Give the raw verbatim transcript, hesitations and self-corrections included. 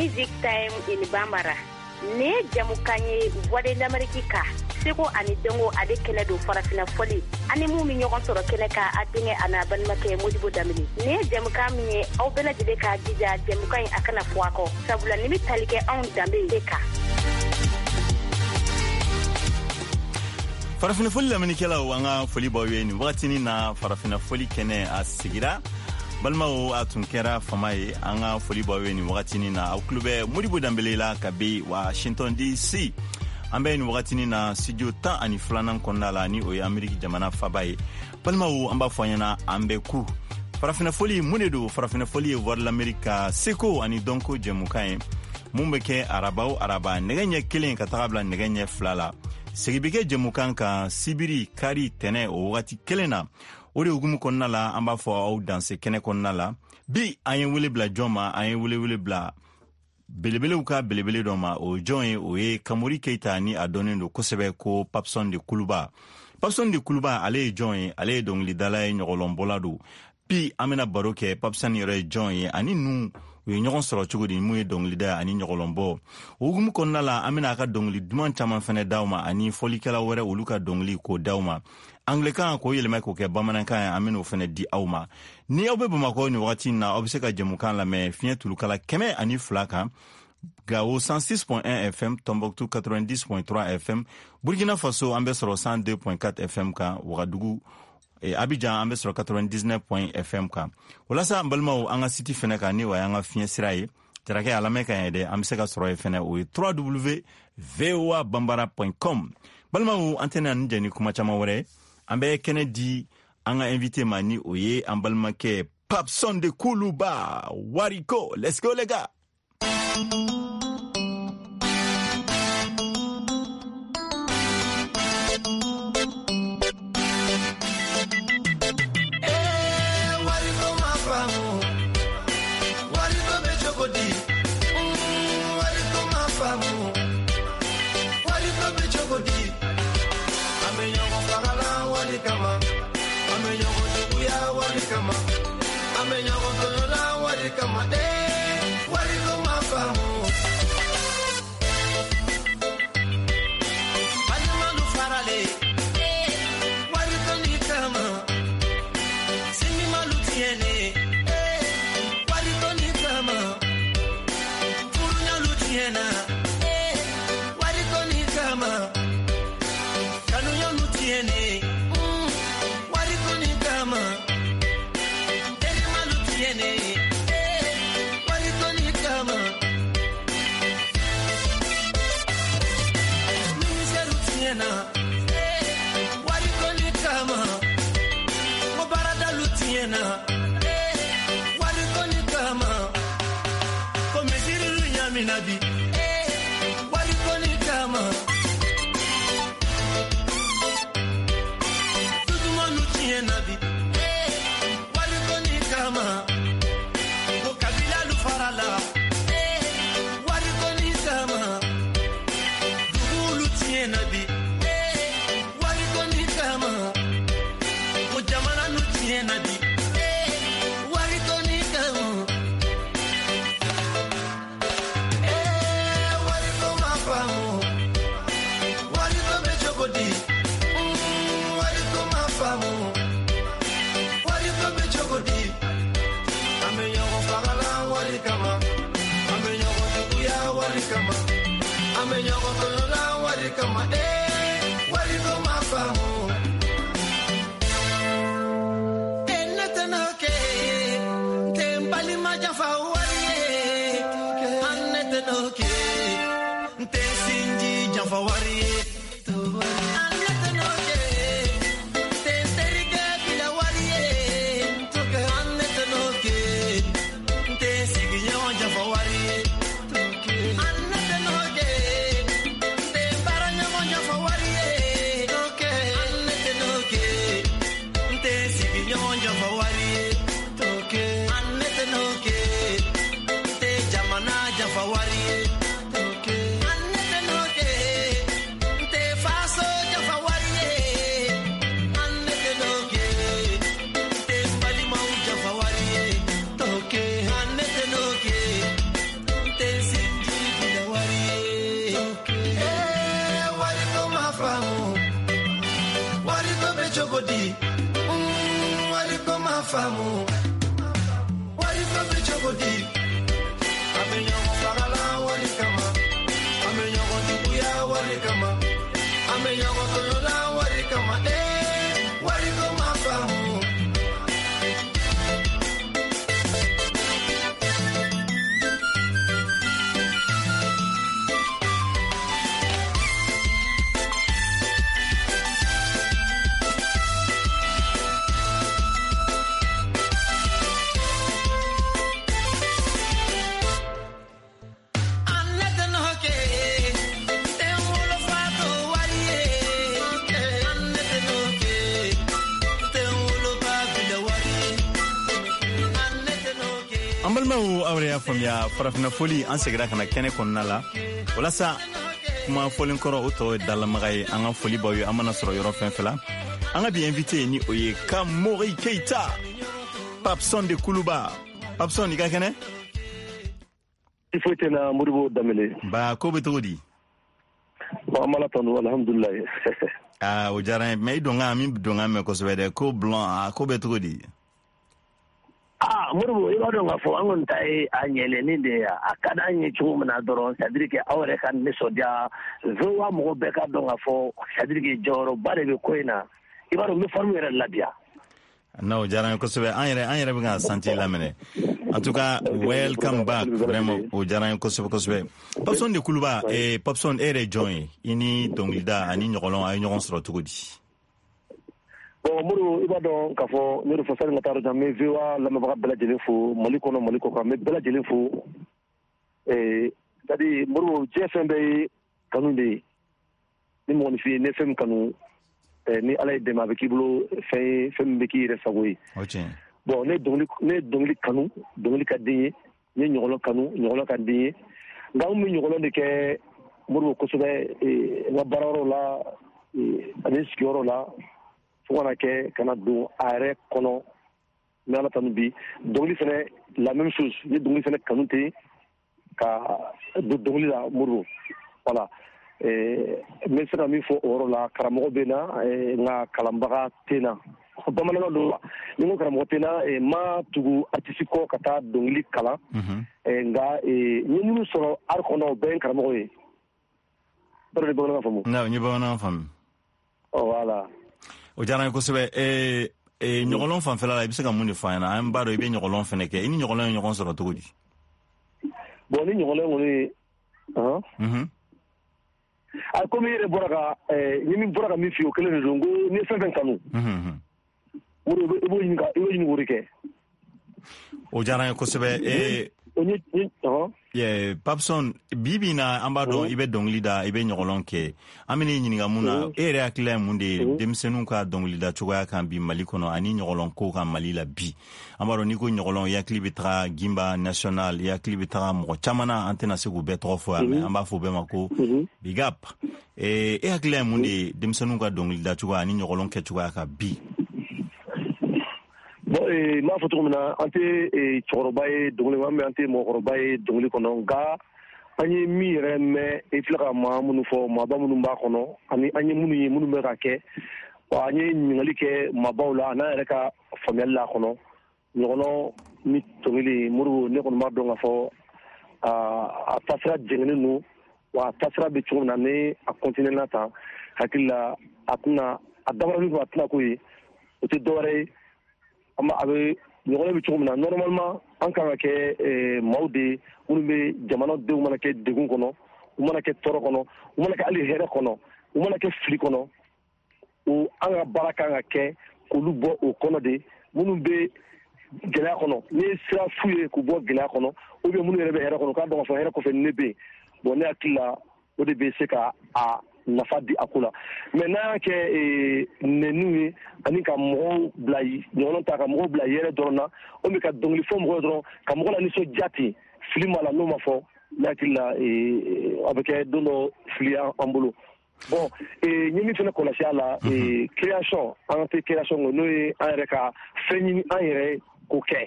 Music Time in Bambara. Nin ye jamukan ye Voix de l'Amérique ka seko ani dɔnko ale kɛnɛ don farafina fɔli ani mun bɛ ɲɔgɔn sɔrɔ kɛnɛ kan a denkɛ a n'a balimakɛ Modibo Danbele. Nin ye jamukan min ye aw bɛɛ lajɛlen k'a jija jamukan in a kana fɔ a kɔ sabula nin bɛ tali kɛ anw danbe de kan. Farafina fɔli lamɛnnikɛlaw, an ka foli b'aw ye nin wagatinin na. Farafina fɔli kɛnɛ a sigira, balimaw, a tun kɛra fama ye. An ka foli b'aw ye nin wagatinin na. Aw tulo bɛ Modibo Danbele la kabi Washington D C. An bɛ nin wagatinin na studio tan ani filanan kɔnɔna la, ni o ye Ameriki jamana faba ye. Balimaw, an b'a fɔ an ɲɛna an bɛ ku farafina fɔli. Mun de don? Farafina fɔli ye Voix de l'Amérique ka seko ani dɔnko jɛmukan ye mun bɛ kɛ araba o araba nɛgɛ ɲɛ kelen ka taga bila nɛgɛ ɲɛ fila la. Segi bɛ kɛ jɛmukan kan sibiri, kari, tɛnɛ o wagati kelen na. O de hukumu kɔnɔna la, an b'a fɔ aw danse kɛnɛ kɔnɔna la. Bi, an ye wele bila jɔn ma? An ye wele wele bila belebelew ka belebele dɔ ma. O jɔn ye? O ye Kamori Keita, ni a dɔnnen don kosɛbɛ ko Papson de Kuluba. Papson de Kuluba, ale ye jɔn ye? Ale ye dɔnkilidala ye, ɲɔgɔlɔnbɔla don. Bi, an bɛna baro kɛ Papson yɛrɛ ye jɔn ye ani nu u ye ɲɔgɔn sɔrɔ cogo di, mun ye dɔnkilida ani ɲɔgɔlɔnbɔ. O hukumu kɔnɔna la, an bɛna a ka dɔnkili duman caman fɛnɛ d'aw ma ani fɔlikɛla wɛrɛ olu ka dɔnkili k'o d'aw ma anglɛkan k'o yɛlɛma k'o kɛ bamanankan ye. An bɛn'o fɛnɛ di aw ma. Ni aw bɛ Bamakɔ nin wagati in na, aw bɛ se ka jɛmukan lamɛn fiɲɛ tulukala kɛmɛ ani fila kan, Gao cent six point un F M, Tombouctou quatre-vingt-dix point trois F M, Burkina Faso an bɛ sɔrɔ cent deux point quatre F M kan, Ouagadougou e, Abidjan an bɛ sɔrɔ quatre-vingt-dix-neuf F M kan. Walasa n balimaw, an ka site fɛnɛ kan, ni o y'an ka fiɲɛ sira ye, jarakɛ a lamɛn ka ɲɛ dɛ, an bɛ se ka sɔrɔ yen fɛnɛ, o ye W W voa bambara com. Balimaw, an tɛna nin jɛ ni kuma caman wɛrɛ. An bɛ kɛnɛ di an ka invité ma, ni o ye an balimakɛ Papson de Kuluba. Wariko, let's go les gars. Wariko ma faamu, wariko bɛ cogo di? Mm, wariko ma faamu, wariko bɛ cogo di? An bɛ ɲɔgɔn fagala wari kama, an bɛ ɲɔgɔn juguya wari kama, an bɛ ɲɔgɔn tɔɲɔla wari kama. Ee, wariko ma faamu. Balimalu faralen wariko ni kama, sinjimalu tiɲɛnen wariko ni kama, furuɲalu tiɲɛna wariko ni kama, kanuɲalu tiɲɛnen wariko ni kama, terimalu tiɲɛnen wariko ni kama, minisɛriw tiɲɛna wariko ni kama, ko baaradalu tiɲɛna wariko ni kama, ko misirilu ɲamina bi wariko ni kama, dudumanu tiɲɛna bi wariko ni kama, ko kabilalu farala wariko ni kama, dugulu tiɲɛna bi wariko ni kama, ko jamananu tiɲɛna bi wariko ni kama. Ee, wariko ma faamu, wariko bɛ cogo di? Mm, wariko ma faamu, wariko bɛ cogo di? An bɛ ɲɔgɔn fagala wari kama, an bɛ ɲɔgɔn juguya wari kama, an bɛ ɲɔgɔn tɔɲɔla wari kama. Ee, wariko ma faamu. Ee, ne tɛna kɛ n tɛ n balima janfa wari ye. An ne tɛna kɛ n tɛ sinji janfa wari ye. An ne tɛna kɛ n tɛ n terikɛ bila wari ye. An ne tɛna kɛ n tɛ sigiɲɔgɔn janfa wari ye. An ne tɛna kɛ n tɛ baaraɲɔgɔn janfa wari ye. An ne tɛna kɛ n tɛ sigiɲɔgɔn janfa wari ye. An ne tɛna kɛ n tɛ jamana janfa wari ye. An ne tɛna kɛ faamu wari ko bɛ cogo di an bɛ ɲɔgɔn fagala wari kama an bɛ ɲɔgɔn juguya wari kama an bɛ ɲɔgɔn tɔɲɔla wari kama ee wari ko ma faamu. An balimaw, aw yɛrɛ y'a faamuya, farafinna foli, an segira ka na kɛnɛ kɔnɔna la walasa kuma fɔlen kɔrɔ, o tɔ ye dalamaga ye. An ka foli b'aw ye, an mana sɔrɔ yɔrɔ fɛn fɛn la. An ka bi invité ni o ye Kamori Keita, Papson de Kuluba. Papson, i ka kɛnɛ? I foyi tɛ na, Modibo Danbele. Ba ko bɛ cogo di? Bon, an b'Ala tanu, alhamdulilayi. Aa, o diyara n ye, mais i donkan min donkan mɛn kosɛbɛ dɛ, ko blanc, a ko bɛ cogo di? Ah, Modibo, i b'a dɔn k'a fɔ an kɔni ta ye a ɲɛlɛnni de ye. A ka d'an ye cogo min na dɔrɔn, c'est à dire que aw yɛrɛ ka nisɔndiya, V O A mɔgɔ bɛɛ ka dɔn k'a fɔ, c'est à dire que jɔyɔrɔba de bɛ ko in na. I b'a dɔn, n bɛ forme yɛrɛ labiya. Non, o diyara n ye kosɛbɛ. An yɛrɛ an yɛrɛ bɛ ka santi laminɛ. En tout cas, welcome back, vraiment, o diyara n ye kosɛbɛ kosɛbɛ. Papson de Kuluba, eh, Papson, e yɛrɛ ye jɔn ye? I ni dɔnkilida ani ɲɔgɔlɔn, a ye ɲɔgɔn sɔrɔ cogo di? Bon, Modibo, i b'a dɔn k'a fɔ ne de fɔ sani ka taa yɔrɔ jan, n bɛ V O A lamɛnbaga bɛɛ lajɛlen fo, Mali kɔnɔ, Mali kɔ kan, n bɛ bɛɛ lajɛlen fo. Eh, c'est à dire, Modibo, diɲɛ fɛn bɛɛ ye kanu de ye. Ni mɔgɔninfin ne fɛn min kanu, eh, ni Ala ye dɛmɛ, a bɛ k'i bolo fɛn ye, fɛn min bɛ k'i yɛrɛ sago ye. O tiɲɛ. Bon, ne dɔnkili ne ye dɔnkili kanu, dɔnkili ka di n ye. N ye ɲɔgɔlɔn kanu, ɲɔgɔlɔn ka di n ye. Nka n bɛ ɲɔgɔlɔn de kɛ, Modibo, kosɛbɛ, eh, n ka baarayɔrɔ la, eh, ani sigiyɔrɔ la, fo kana kɛ ka na don a yɛrɛ kɔnɔ. N bɛ Ala tanu bi. Dɔnkili fɛnɛ, la même chose, n ye dɔnkili fɛnɛ kanu ten ka don dɔnkili la, Modibo. Voilà. Eh, n bɛ se ka min fɔ o yɔrɔ la, karamɔgɔ bɛ n na, eh, nka kalanbaga tɛ n na. Bamanankan don, ni n ko karamɔgɔ tɛ n na, eh, n ma tugu artiste kɔ ka taa dɔnkili kalan. Mhm. Eh, nka eh, n ye minnu sɔrɔ art kɔnɔ, o bɛɛ ye n karamɔgɔ ye. Yɔrɔ ni bamanankan faamu? Non, n ye bamanankan faamu. Oh, voilà. O diyara n ye kosɛbɛ. Eh, eh, ɲɔgɔlɔn fanfɛla la, i bɛ se ka mun de fɔ an ɲɛna? An b'a dɔn i bɛ ɲɔgɔlɔn fɛnɛ kɛ. I ni ɲɔgɔlɔn ye ɲɔgɔn sɔrɔ cogo di? Bon, ni ɲɔgɔlɔn kɔni, han. Mhm. A komi i yɛrɛ bɔra ka eh, ni min bɔra ka min f'i ye, o kelen de don. N ko n'i ye fɛn fɛn kanu, Mhm, mhm. o de i b'o ɲini ka i b'o ɲini k'o de kɛ. O diyara n ye kosɛbɛ. Eh, O ni ni ɔhɔn. Yeah, Papson, bi bi in na, an b'a dɔn i bɛ dɔnkili da, i bɛ ɲɔgɔlɔn kɛ. An bɛn'i ɲininka mun na? E yɛrɛ hakilila ye mun de ye denmisɛnninw ka dɔnkilida cogoya kan bi Mali kɔnɔ, ani ɲɔgɔlɔn ko kan Mali la bi? An b'a dɔn n'i ko ɲɔgɔlɔn, i hakili bɛ taga Gimba National, i hakili bɛ taga mɔgɔ caman na, an tɛna se k'u bɛɛ tɔgɔ fɔ yan, mais an b'a fɔ u bɛɛ ma ko big up. Eh, e hakilila ye mun de ye denmisɛnninw ka dɔnkilida cogoya ani ɲɔgɔlɔn kɛ cogoya kan bi? Bon, eh, n b'a fɔ cogo min na, an tɛ eh, cɛkɔrɔba ye dɔnkili kɔnɔ, an tɛ mɔgɔkɔrɔba ye dɔnkili kɔnɔ, nka an ye min yɛrɛ mɛn, i filɛ ka maa minnu fɔ, maaba minnu b'a kɔnɔ, ani an ye minnu ye, minnu bɛ ka kɛ, wa an ye ɲininkali kɛ maabaw la, an'an yɛrɛ ka faamuyali la a kɔnɔ. Ɲɔgɔlɔn ni dɔnkili, Modibo, ne kɔni b'a dɔn k'a fɔ a taasira jɛngɛnnen don, wa a taasira bɛ cogo min na, ni a continuer na tan, hakili la a tɛna a dabɔra min kama, a tɛna k'o ye. O tɛ dɔwɛrɛ ye, an a bɛ ɲɔgɔlɔn bɛ cogo min na, normalement an kan ka kɛ maaw de ye minnu bɛ jamanadenw mana kɛ degun kɔnɔ, u mana kɛ tɔɔrɔ kɔnɔ, u mana kɛ hali hɛrɛ kɔnɔ, u mana kɛ fili kɔnɔ, o an ka baara kan ka kɛ k'olu bɔ o kɔnɔ de. Minnu bɛ gɛlɛya kɔnɔ, n'i ye sira f'u ye k'u bɔ gɛlɛya kɔnɔ, ou bien minnu yɛrɛ bɛ hɛrɛ kɔnɔ, k'a dɔn k'a fɔ hɛrɛ kɔfɛ ne bɛ yen. Bon, ne hakili la, o de bɛ se ka a nafa di a ko la. Mais n'an y'a kɛ nɛniw ye, ani ka mɔgɔw bila ɲɔgɔn ta, ka mɔgɔw bila yɛrɛ dɔrɔn na, o bɛ ka dɔnkili fɔ mɔgɔw dɔrɔn ka mɔgɔ la nisɔndiya ten, fili ma la, n'o ma fɔ, ne hakili la, a bɛ kɛ don dɔ fili an bolo. Bon, n ye min fana kɔlɔsi a la, création, an tɛ création kɛ, n'o ye an yɛrɛ ka fɛn ɲini an yɛrɛ k'o kɛ.